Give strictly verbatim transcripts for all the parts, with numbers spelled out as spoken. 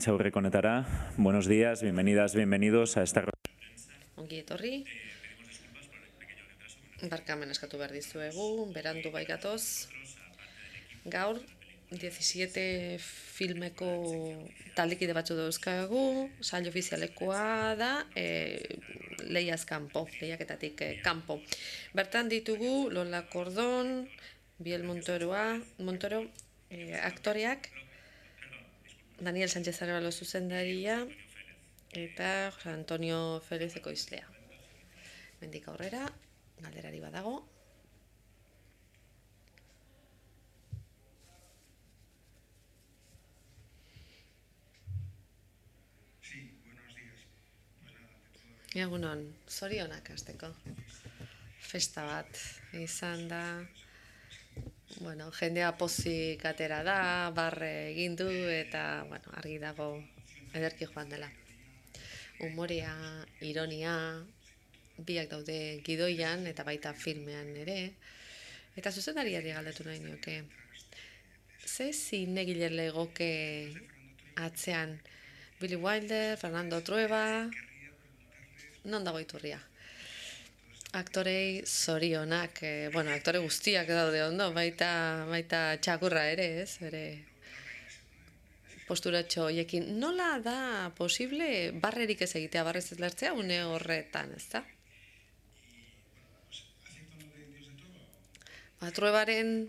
prentsaurreko honetara. Buenos días, bienvenidas, bienvenidos a esta... Ongi etorri. Barkamen eskatu behar dizuegu, berandu bai gatoz. Gaur, diecisiete filmeko taldekide batzu dauzkagu, sail ofizialekoa da, e, lehiaz kanpo, lehiaketatik e, kanpo. Bertan ditugu Lola Cordón, Biel Montoroa, Montoro, e, aktoreak, Daniel Sánchez Arevalo zuzendaria, eta Jose Antonio Félix ekoizlea. Mendik aurrera, galderari badago. Egunon, zorionak hasteko. Festa bat izan da. Bueno, jendea pozik atera da, barre egin du eta bueno, argi dago ederki joan dela. Humorea, ironia, biak daude gidoian eta baita filmean ere. Eta zuzendariari galdetu nahi nioke. Ze zinegile legoke atzean? Billy Wilder, Fernando Trueba, non dago iturria? Aktorei zorionak, eh, bueno, aktore guztiak daude ondo, baita, baita txakurra ere, ez? Bere posturatxo hoiekin. Nola da posible barrerik ez egitea, barrez ez lertzea, une horretan, ez da? Ba, Truebaren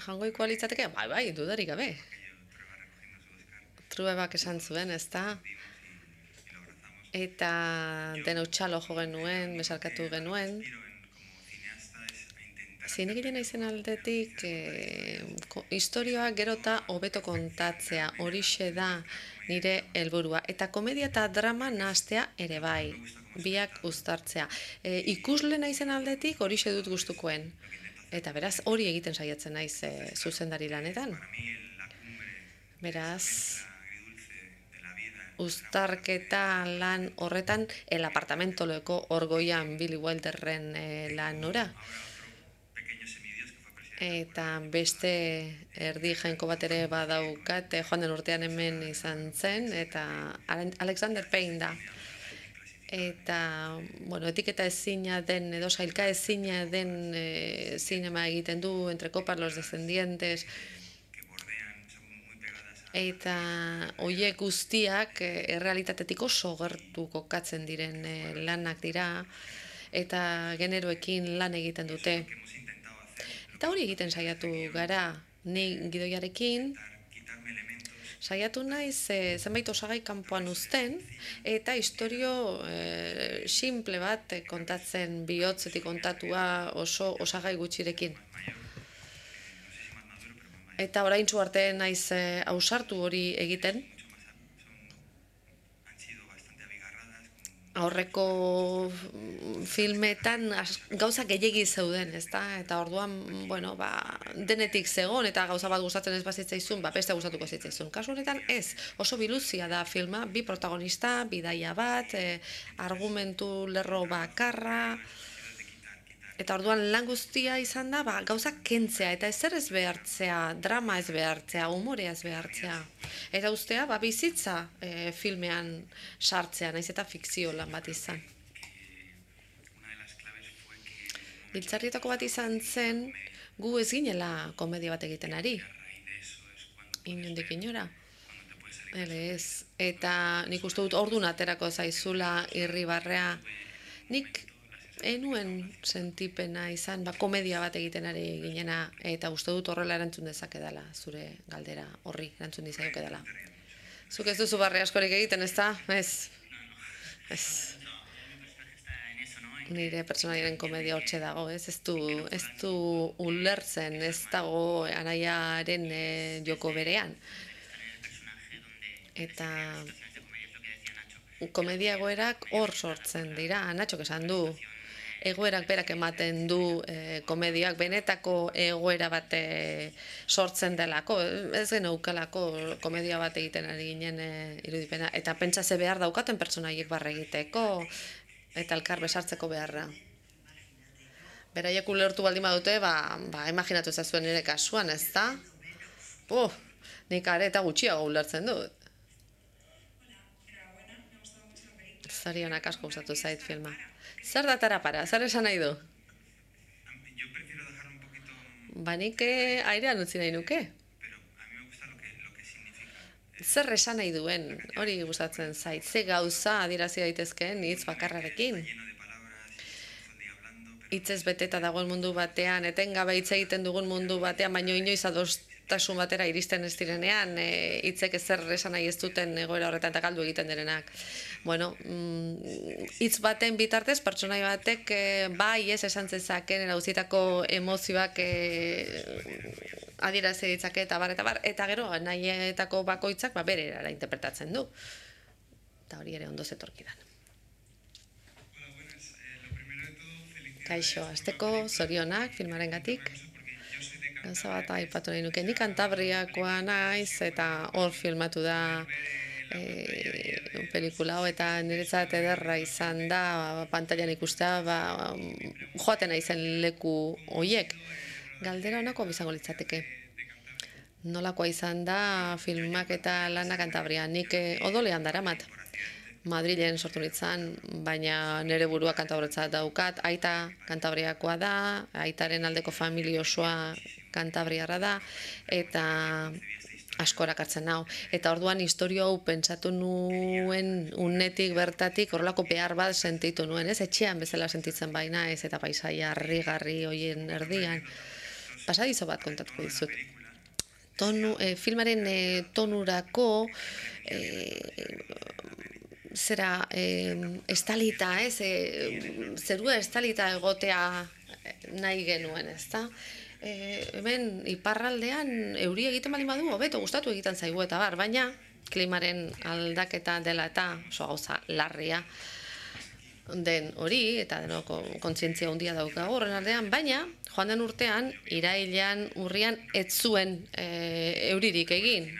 jangoiko alitzateke? Bai, bai, dudarik gabe. Truebak esan zuen, ez da? Eta denau txalo jo genuen, besarkatu genuen. Zinegile naizen aldetik, e, historioa gerota hobeto kontatzea, horixe da nire helburua. Eta komedia eta drama nahastea ere bai, biak uztartzea. E, ikusle naizen aldetik horixe dut gustukoen. Eta beraz hori egiten saiatzen naiz e, zuzendari lanetan. Beraz... uztarketa lan horretan el apartamentoleko orgoian Billy Wilderren e, lan nora. Eta beste erdi jainko bat ere badaukat, joan den urtean hemen izan zen, eta Alexander Payne da. Eta, bueno, etiketa ezina den, edo sailka ezina den e, zinema egiten du, Entre copas los descendientes, eta hoiek guztiak errealitatetik oso gertu kokatzen diren lanak dira, eta generoekin lan egiten dute. Eta hori egiten saiatu gara, ni gidoiarekin, saiatu naiz e, zenbait osagai kanpoan uzten, eta istorio e, simple bat kontatzen, bihotzetik kontatua oso osagai gutxirekin. Eta oraintsu arte naiz e, ausartu hori egiten. Aurreko filmetan gauza gehiegi zeuden, ezta? Eta orduan, bueno, ba, denetik zegon eta gauza bat gustatzen ez bazitzaizun, ba, beste gustatuko zitzaizun. Kasu honetan ez, oso biluzia da filma, bi protagonista, bidaia bat, e, argumentu lerro bakarra. Eta orduan lan guztia izan da, ba, gauzak kentzea, eta ezer ez behartzea, drama ez behartzea, humorea ez behartzea. Eta ustea, ba, bizitza e, filmean sartzea, naiz eta fikzio lan bat izan. Giltzarrietako bat izan zen, gu ez ginela komedia bat egiten ari. Inondik inora. Ele ez. Eta nik uste dut orduan aterako zaizula irribarrea. Nik enuen sentipena izan, ba, komedia bat egiten ari ginena, eta uste dut horrela erantzun dezake dela, zure galdera horri erantzun dizaioke dela. Zuk ez duzu barre askorik egiten, ez da? Ez. Ez. Nire pertsonaiaren komedia hortxe dago, ez? Ez du, ez du ulertzen, ez dago anaiaren e, joko berean. Eta komedia egoerak hor sortzen dira, Natxok esan du. Egoerak berak ematen du e, komediak, benetako egoera bat e, sortzen delako, ez geneukalako komedia bat egiten ari ginen e, irudipena, eta pentsa ze behar daukaten pertsonaiek barre egiteko, eta elkar besartzeko beharra. Beraiek ulertu baldin badute, ba, ba, imaginatu ezazuen nire kasuan, ez da? Uh, nik are eta gutxiago ulertzen dut. Zorionak asko gustatu zait filma. Zer da tarapara? Zer esan nahi du? Yo prefiero dejar un poquito, Ba nik eh, airean utzi nahi nuke. pero a mí me gusta lo que, lo que significa. Zer esan nahi duen, hori gustatzen zait. Ze gauza adierazi daitezkeen hitz bakarrarekin. Lleno de palabras, y todo el día hablando, pero Hitzez beteta dagoen mundu batean, etengabe hitz egiten dugun mundu batean, baino inoiz adostasun batera iristen ez direnean, e, hitzek ezer esan nahi ez duten egoera horretan eta galdu egiten direnak. Bueno, mm, hitz baten bitartez, pertsonai batek e, bai ez esan zezaken erauzitako emozioak e, adierazi ditzake eta bar, eta bar, eta gero nahietako bakoitzak ba, bere erara interpretatzen du. Eta hori ere ondo zetorkidan. hola, buenas. Eh, lo primero de todo, felicidades. Kaixo, asteko zorionak filmarengatik. Porque yo soy de Gauza bat aipatu nahi nuke, ni Kantabriakoa naiz eta hor filmatu da e, pelikula hau eta niretzat ederra izan da pantailan ikustea ba, joaten naizen leku hoiek. Galdera honako bizango litzateke. Nolakoa izan da filmak eta lana Kantabrian, nik eh, odolean daramat. Madrilen sortu nintzen, baina nire burua Kantabriatzat daukat, aita Kantabriakoa da, aitaren aldeko familia osoa Kantabriarra da, eta askorak hartzen nau. Eta orduan historio hau pentsatu nuen unetik bertatik horrelako behar bat sentitu nuen, ez? Etxean bezala sentitzen baina ez, eta paisaia harrigarri hoien erdian. Pasadizo bat kontatuko dizut. Tonu, eh, filmaren eh, tonurako eh, zera eh, estalita, ez? Eh, zerua estalita egotea nahi genuen, ezta? Eh, hemen iparraldean euri egiten baldin badu, hobeto gustatu egiten zaigu eta bar, baina klimaren aldaketa dela eta oso gauza larria den hori, eta denoko kontzientzia handia daukagu horren aldean, baina joan den urtean, irailean, urrian, ez zuen e, euririk egin.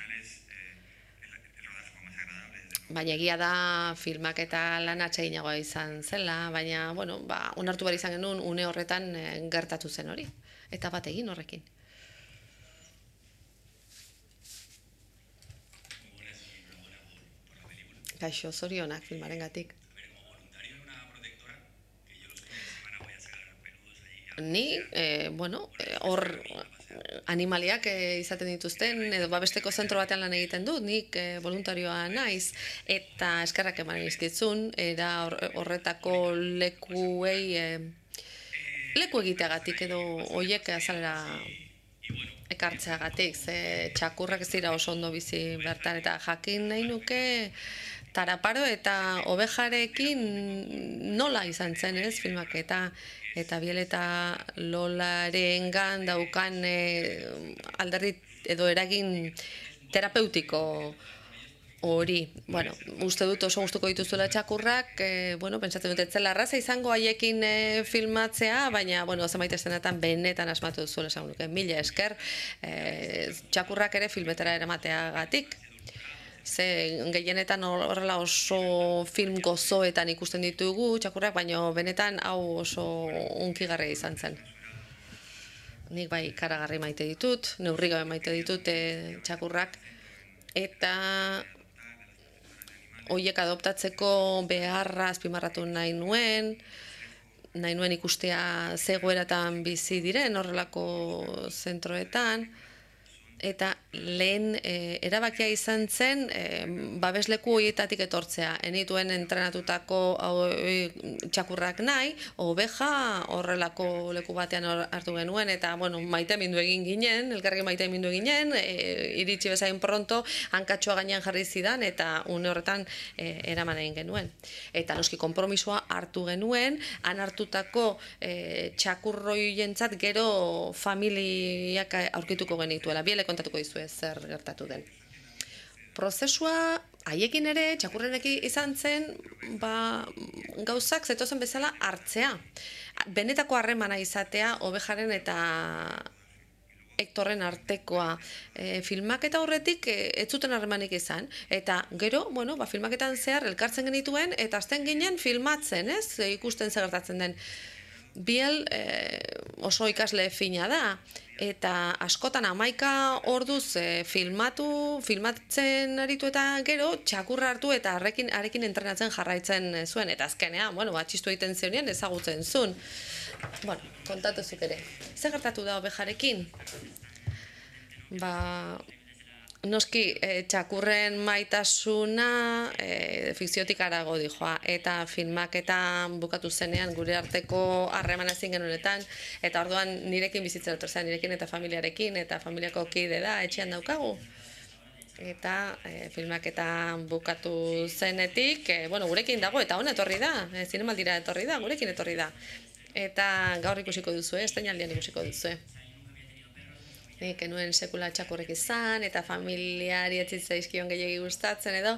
Baina egia da filmak eta lan atseginagoa izan zela, baina, bueno, ba, onartu behar izan genuen une horretan e, gertatu zen hori. Eta bat egin horrekin. Kaixo, zorionak filmarengatik. Ni, eh, bueno, hor eh, animaliak eh, izaten dituzten, edo babesteko zentro batean lan egiten dut, nik eh, voluntarioa naiz, eta eskerrak eman izkitzun, era horretako lekuei, eh, leku egiteagatik edo hoiek azalera ekartzeagatik, ze txakurrak ez dira oso ondo bizi bertan, eta jakin nahi nuke taraparo eta ovejarekin nola izan zen, ez, filmak, eta eta Biel eta Lolarengan daukan e, alderdi edo eragin terapeutiko hori. Bueno, uste dut oso gustuko dituzuela txakurrak, e, bueno, pentsatzen dut ez zela erraza izango haiekin e, filmatzea, baina, bueno, zenbait eszenetan benetan asmatu duzuela esan nuke. Mila esker, e, txakurrak ere filmetara eramateagatik. Ze gehienetan horrela oso film gozoetan ikusten ditugu txakurrak, baina benetan hau oso unkigarria izan zen. Nik bai ikaragarri maite ditut, neurri gabe maite ditut e, txakurrak, eta horiek adoptatzeko beharra azpimarratu nahi nuen, nahi nuen ikustea zegoeratan bizi diren horrelako zentroetan, eta lehen e, erabakia izan zen e, babesleku horietatik etortzea. Enituen entrenatutako hau, e, txakurrak nahi, oveja horrelako leku batean hartu genuen, eta bueno, maite mindu egin ginen, elkarrekin maite mindu eginen, e, iritsi bezain pronto, hankatxoa gainean jarri zidan, eta une horretan e, eraman egin genuen. Eta noski konpromisoa hartu genuen, han hartutako e, txakurroientzat gero familiak aurkituko genituela. Bieleko kontatuko dizue zer gertatu den. Prozesua haiekin ere, txakurrenekin izan zen, ba, gauzak zetozen bezala hartzea. Benetako harremana izatea, ovejaren eta Hektorren artekoa. E, filmaketa horretik e, ez zuten harremanik izan. Eta gero, bueno, ba, filmaketan zehar elkartzen genituen, eta azten ginen filmatzen, ez? E, ikusten zer gertatzen den. Biel e, oso ikasle fina da, eta askotan hamaika orduz e, filmatu, filmatzen aritu eta gero txakurra hartu eta arekin, arekin entrenatzen jarraitzen zuen, eta azkenean, bueno, batxistu egiten zeunean ezagutzen zuen. Bueno, kontatu zuk ere. Zer gertatu da ovejarekin? Ba, noski, e, txakurren maitasuna e, fikziotik arago dijoa, eta filmaketan bukatu zenean gure arteko harreman ezin genuenetan, eta orduan nirekin bizitzen dut, nirekin eta familiarekin, eta familiako kide da, etxean daukagu. Eta e, filmaketan bukatu zenetik, e, bueno, gurekin dago, eta hona etorri da, e, zinemaldira etorri da, gurekin etorri da. Eta gaur ikusiko duzue, estainaldian ikusiko duzue. Nik enuen sekula txakurrek izan, eta familiari etzitzaizkion gehiagi gustatzen edo,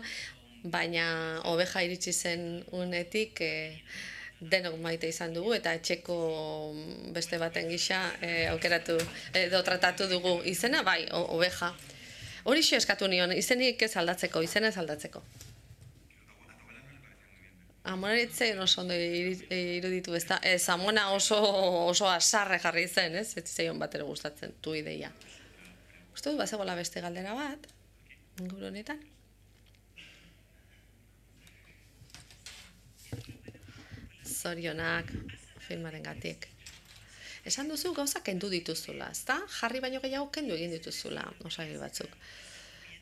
baina oveja iritsi zen unetik e, denok maite izan dugu, eta etxeko beste baten gisa e, aukeratu edo tratatu dugu izena, bai, oveja. Hori xo eskatu nion, izenik ez aldatzeko, izena ez aldatzeko. Amonaritzen oso ondo iruditu, ez da, ez, Amona oso, oso asarre jarri zen, ez? Ez zion bat ere gustatzen, tu ideia. Uste du, bazegoela beste galdera bat, inguru honetan. Zorionak filmaren gatik. Esan duzu gauza kendu dituzula, ez da? Jarri baino gehiago kendu egin dituzula, osagi batzuk.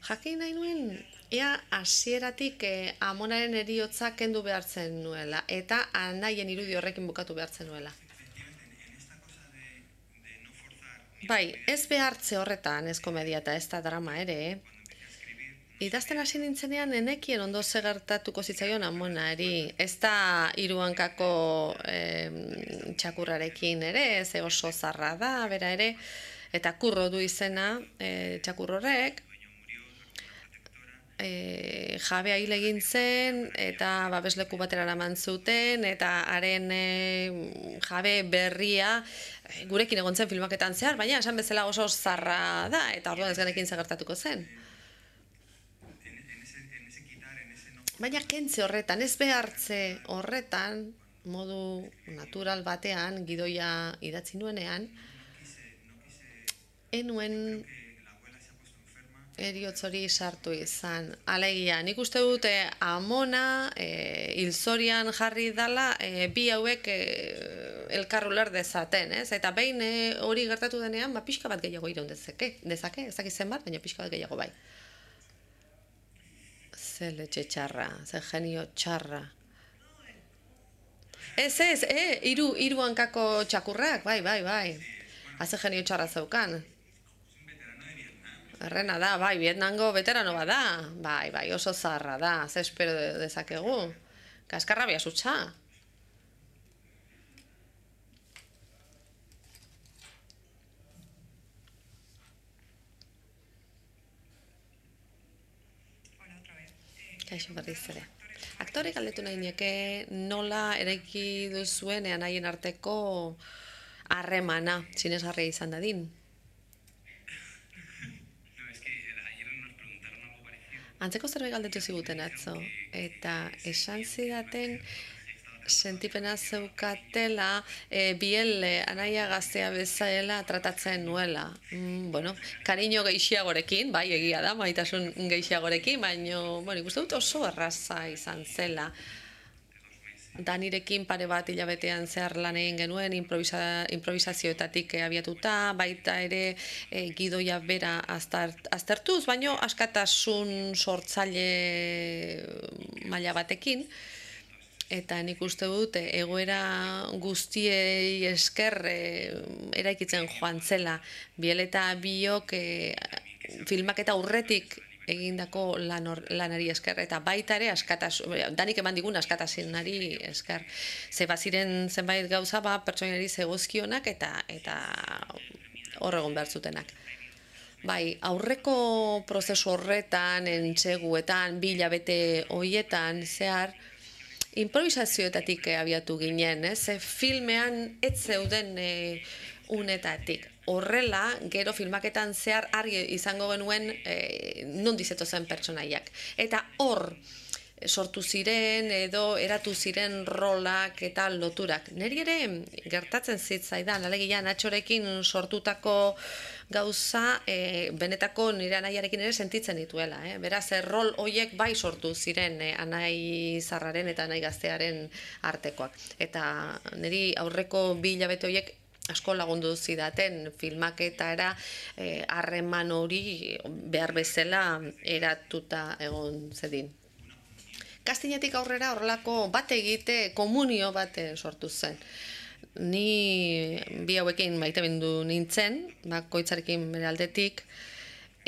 Jakin nahi nuen, ea hasieratik eh, Amonaren eriotza kendu behartzen nuela, eta anaien irudi horrekin bukatu behartzen nuela. Bai, ez behartze horretan, ez komedia eta ez da drama ere, idazten hasi nintzenean enekien ondo ze gertatuko zitzaion Amonari, ez da hiru hankako eh, txakurrarekin ere, ze oso zarra da, bera ere, eta kurro du izena eh, txakurrorek, E, jabea hil egin zen, eta babesleku batera eraman zuten, eta haren e, jabe berria e, gurekin egon zen filmaketan zehar, baina esan bezala oso zarra da, eta orduan ez genekin zagertatuko zen. Baina kentze horretan, ez behartze horretan, modu natural batean, gidoia idatzi nuenean, enuen eriotz hori sartu izan. Alegia, nik uste dute Amona e, hilzorian jarri dala e, bi hauek e, elkar uler dezaten, ez? Eta behin e, hori gertatu denean, ba, pixka bat gehiago iraun dezake, dezake, ez dakit zenbat, baina pixka bat gehiago bai. Ze letxe txarra, ze genio txarra. Ez, ez, e, iru, iru hankako txakurrak, bai, bai, bai. Haze genio txarra zeukan. Errena da, bai, Vietnamgo veterano bada, bai, bai, oso zarra da, ze espero dezakegu. Kaskarra biasutxa. Kaixo berriz ere. Aktore galdetu nahi nieke nola eraiki duzuen anaien arteko harremana, sinesgarria izan dadin. Antzeko zerbait galdetu ziguten atzo, eta esan zidaten sentipena zeukatela e, biel e, anaia gaztea bezala tratatzen nuela. Mm, bueno, kariño gehiagorekin, bai, egia da, maitasun gehiagorekin, baina, bueno, ikusten dut oso erraza izan zela. Danirekin pare bat hilabetean zehar lan egin genuen improvisa, improvisazioetatik abiatuta, baita ere e, gidoia bera aztart, aztertuz, baino askatasun sortzaile maila batekin, eta nik uste dut egoera guztiei esker e, eraikitzen joan zela. Biel eta biok e, filmaketa aurretik egindako lan or, lanari esker, eta baita ere askatasun, danik eman digun askatasunari esker. Ze baziren zenbait gauza ba pertsonari zegozkionak eta eta hor egon behar zutenak. Bai, aurreko prozesu horretan, entseguetan, bi hilabete hoietan zehar, improvisazioetatik abiatu ginen, ez? Filmean ez zeuden e, unetatik. Horrela, gero filmaketan zehar argi izango genuen e, non dizetozen pertsonaiak. Eta hor, sortu ziren edo eratu ziren rolak eta loturak. Neri ere gertatzen zitzaidan, alegia Natxorekin sortutako gauza e, benetako nire anaiarekin ere sentitzen dituela. Eh? Beraz, e, rol hoiek bai sortu ziren e, anai zarraren eta anai gaztearen artekoak. Eta niri aurreko bi hilabete horiek asko lagundu zidaten filmaketara harreman hori behar bezala eratuta egon zedin. Kastinetik aurrera horrelako bat egite, komunio bat sortu zen. Ni bi hauekin maitemindu nintzen, bakoitzarekin bere aldetik,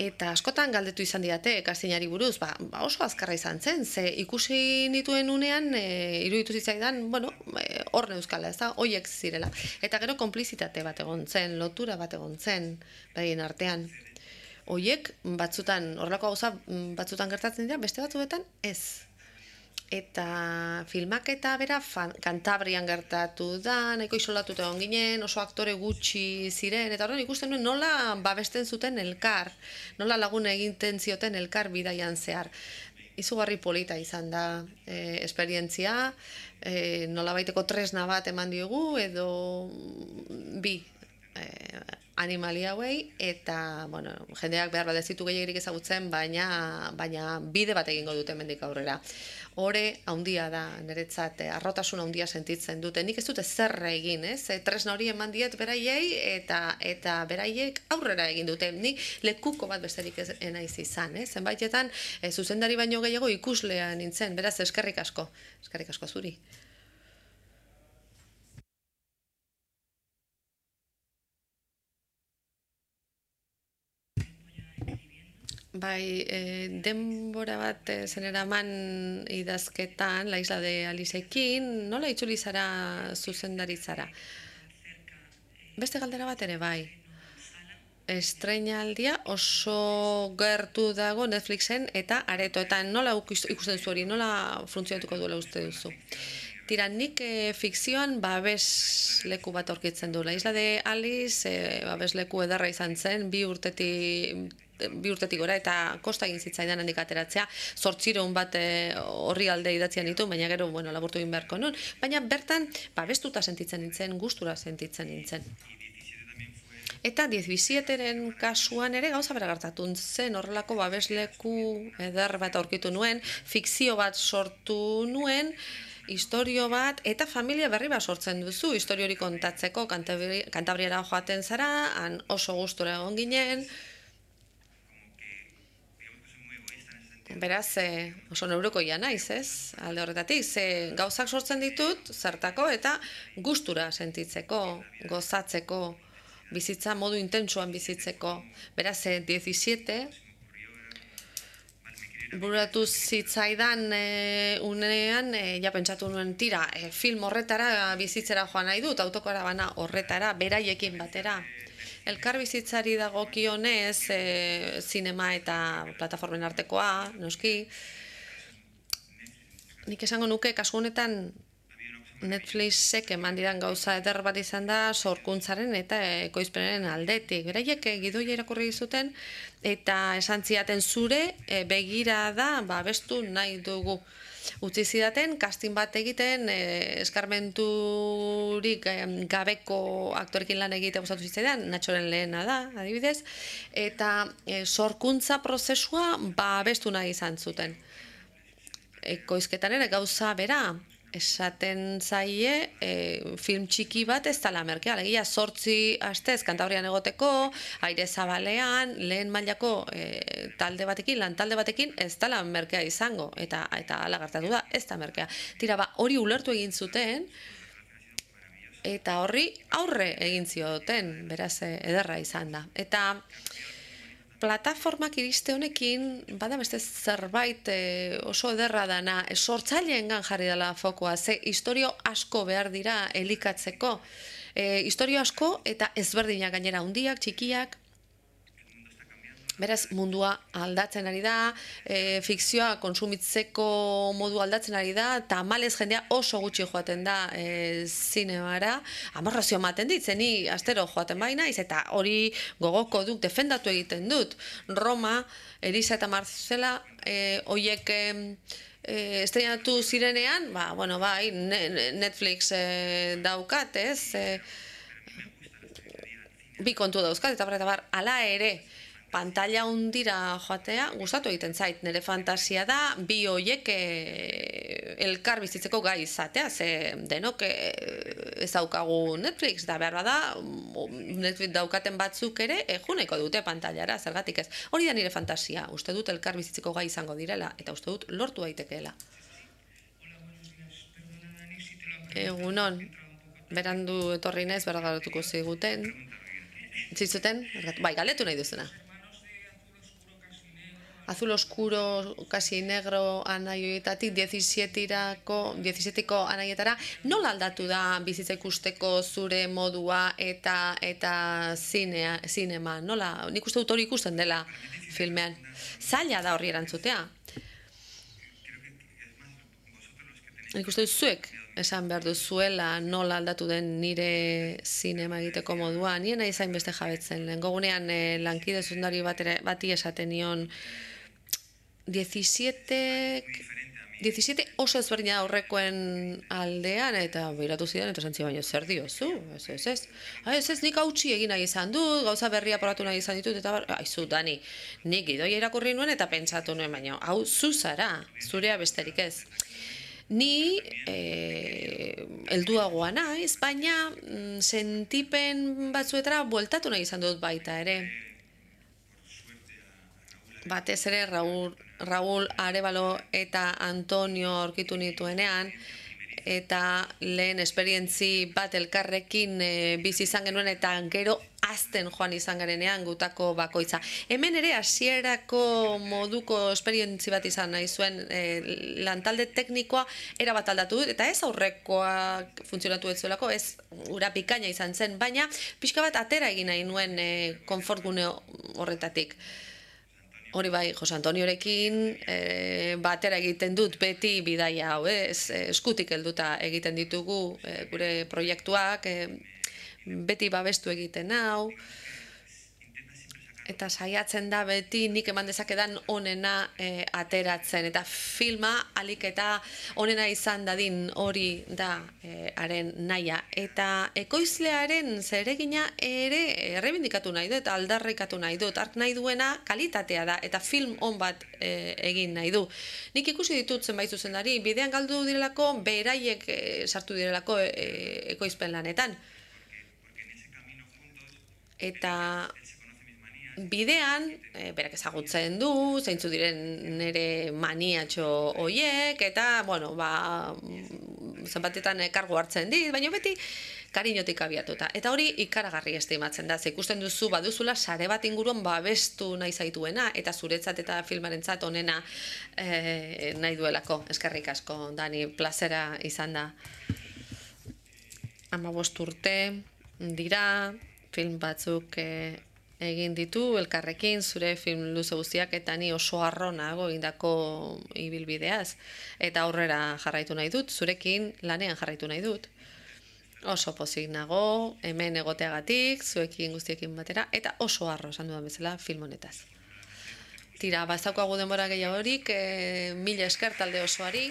eta askotan galdetu izan didate kastinari buruz, ba, ba oso azkarra izan zen, ze ikusi nituen unean, e, iruditu zitzaidan, bueno, e, hor neuzkala, ez da, hoiek zirela. Eta gero konplizitate bat egon zen, lotura bat egon zen, begin artean. Hoiek batzutan, horrelako gauza batzutan gertatzen dira, beste batzuetan ez. Eta filmaketa bera Kantabrian gertatu da, nahiko isolatuta egon ginen, oso aktore gutxi ziren, eta horren ikusten nuen nola babesten zuten elkar, nola lagun eginten zioten elkar bidaian zehar. Izugarri polita izan da e, esperientzia, e, nola baiteko tresna bat eman diogu, edo bi e, animali hauei, eta bueno, jendeak behar bat ez ditu gehiagirik ezagutzen, baina, baina bide bat egingo dute hemendik aurrera. Hore handia da, niretzat, arrotasun handia sentitzen dute. Nik ez dute zer egin, ez? Tresna hori eman diet beraiei, eta eta beraiek aurrera egin dute. Nik lekuko bat besterik ez naiz izan, ez? Zenbaitetan, e, zuzendari baino gehiago ikuslea nintzen, beraz, eskerrik asko. Eskerrik asko zuri. Bai, e, denbora bat e, zeneraman idazketan, La Isla de Aliceekin, nola itzuli zara zuzendaritzara? Beste galdera bat ere, bai. Estreinaldia oso gertu dago Netflixen eta aretoetan. Nola ikusten zu hori, nola funtzionatuko duela uste duzu? Tira, nik e, fikzioan babesleku bat aurkitzen du. La Isla de Alice e, babesleku ederra izan zen, bi urtetik bi urtetik gora, eta kosta egin zitzaidan handik ateratzea, zortziehun bat horri alde idatzian ditu, baina gero, bueno, laburtu egin beharko nun. Baina bertan, babestuta sentitzen nintzen, gustura sentitzen nintzen. Eta diezbizieteren kasuan ere gauza bera gertatu zen, horrelako babesleku eder bat aurkitu nuen, fikzio bat sortu nuen, historio bat, eta familia berri bat sortzen duzu, historio hori kontatzeko, Kantabriara joaten zara, han oso gustura egon ginen. Beraz, e, oso neurokoia naiz, ez? Alde horretatik, ze gauzak sortzen ditut, zertako, eta gustura sentitzeko, gozatzeko, bizitza modu intentsuan bizitzeko. Beraz, e, diezizete, buratu zitzaidan e, unean, e, ja pentsatu nuen, tira, e, film horretara bizitzera joan nahi dut, autokarabana horretara, beraiekin batera. Elkar bizitzari dagokionez, e, zinema eta plataformen artekoa, noski. Nik esango nuke, kasu honetan Netflixek eman didan gauza eder bat izan da sorkuntzaren eta ekoizpenaren aldetik. Beraiek gidoia irakurri zuten eta esan zidaten zure e, begira da babestu nahi dugu. Utzi zidaten, casting bat egiten, eh, eskarmenturik eh, gabeko aktorekin lan egite gustatu zitzaidan, Natxoren lehena da, adibidez, eta eh, sorkuntza prozesua babestu nahi izan zuten. Ekoizketan ere gauza bera, esaten zaie e, film txiki bat ez dela merkea, alegia zortzi astez Kantabrian egoteko, aire zabalean, lehen mailako e, talde batekin, lan talde batekin ez dela merkea izango, eta eta hala gertatu da, ez da merkea. Tira, ba, hori ulertu egin zuten, eta horri aurre egin zioten, beraz ederra izan da. Eta plataformak iriste honekin, bada beste zerbait e, oso ederra dana, e, sortzaileengan jarri dela fokoa, ze historio asko behar dira elikatzeko. E, historio asko eta ezberdinak gainera, handiak, txikiak, Beraz, mundua aldatzen ari da, e, fikzioa konsumitzeko modu aldatzen ari da, tamalez jendea oso gutxi joaten da e, zinemara, amorrazio ematen dit, zeni astero joaten baina, iz eta hori gogoko duk defendatu egiten dut. Roma, Elisa eta Marcela, e, oiek e, e, estrenatu zirenean, ba, bueno, bai, Netflix e, daukat, ez? E, bi kontu dauzkat, eta bar, eta bar, ala ere, pantalla hundira joatea, gustatu egiten zait, nire fantasia da, bi hoiek e, elkar bizitzeko gai izatea, ze denok e, ez daukagu Netflix, da behar bada, Netflix daukaten batzuk ere, e, juneko dute pantallara, zergatik ez. Hori da nire fantasia, uste dut elkar bizitzeko gai izango direla, eta uste dut lortu daitekeela. Egunon, berandu etorri naiz, berra galatuko ziguten. Zizuten? Bai, galetu nahi duzuna. Azul oscuro, casi negro anaioetatik diezizietirako anaietara, nola aldatu da bizitza ikusteko zure modua eta eta zinea, zinema? Nola? Nik uste dut hori ikusten dela filmean. Zaila da horri erantzutea. Nik uste dut zuek esan behar duzuela nola aldatu den nire zinema egiteko modua. Nien nahi zain beste jabetzen. Lehen gogunean eh, lankide zundari bati esaten nion diezisiete oso ezberdina aurrekoen aldean, eta behiratu zidan, eta zantzi baino zer diozu, ez, ez, ez. Ez, ez, nik hautsi egin nahi izan dut, gauza berria probatu nahi izan ditut, eta aizu, Dani, nik gidoia irakurri nuen eta pentsatu nuen, baino, hau zu zara, zurea besterik ez. Ni e, helduagoa naiz, baina mm, sentipen batzuetara bueltatu nahi izan dut baita ere. Batez ere Raúl, Raúl Arévalo eta Antonio aurkitu nituenean, eta lehen esperientzi bat elkarrekin e, bizi izan genuen eta gero azten joan izan garenean gutako bakoitza. Hemen ere hasierako moduko esperientzi bat izan nahi zuen e, lantalde teknikoa erabat aldatu dut, eta ez aurrekoa funtzionatu ez zuelako, ez ura bikaina izan zen, baina pixka bat atera egin nahi nuen e, konfortgune horretatik. Hori bai, Jose Antoniorekin e, batera egiten dut beti bidaia hau, ez, eskutik helduta egiten ditugu e, gure proiektuak, e, beti babestu egiten hau, eta saiatzen da beti nik eman dezakedan onena e, ateratzen, eta filma alik eta onena izan dadin hori da e, haren nahia, eta ekoizlearen zeregina ere errebindikatu nahi du eta aldarrikatu nahi du, ark nahi duena kalitatea da, eta film on bat e, egin nahi du. Nik ikusi ditut zenbait zuzendari, bidean galdu direlako, beraiek e, sartu direlako e, ekoizpen lanetan. Eta bidean, e, berak ezagutzen du, zeintzu diren nire maniatxo hoiek, eta, bueno, ba, zenbatetan kargu hartzen dit, baina beti kariñotik abiatuta. Eta hori ikaragarri estimatzen da, ze ikusten duzu baduzula sare bat inguruan babestu nahi zaituena, eta zuretzat eta filmarentzat onena e, nahi duelako. Eskerrik asko, Dani, plazera izan da. Hamabost urte dira, film batzuk e, egin ditu elkarrekin, zure film luze guztiak, eta ni oso arronago egindako ibilbideaz, eta aurrera jarraitu nahi dut, zurekin lanean jarraitu nahi dut. Oso pozik nago, hemen egoteagatik, zuekin guztiekin batera, eta oso arro esan dudan bezala film honetaz. Tira, bazaukagu denbora gehiagorik, e, mila esker talde osoari.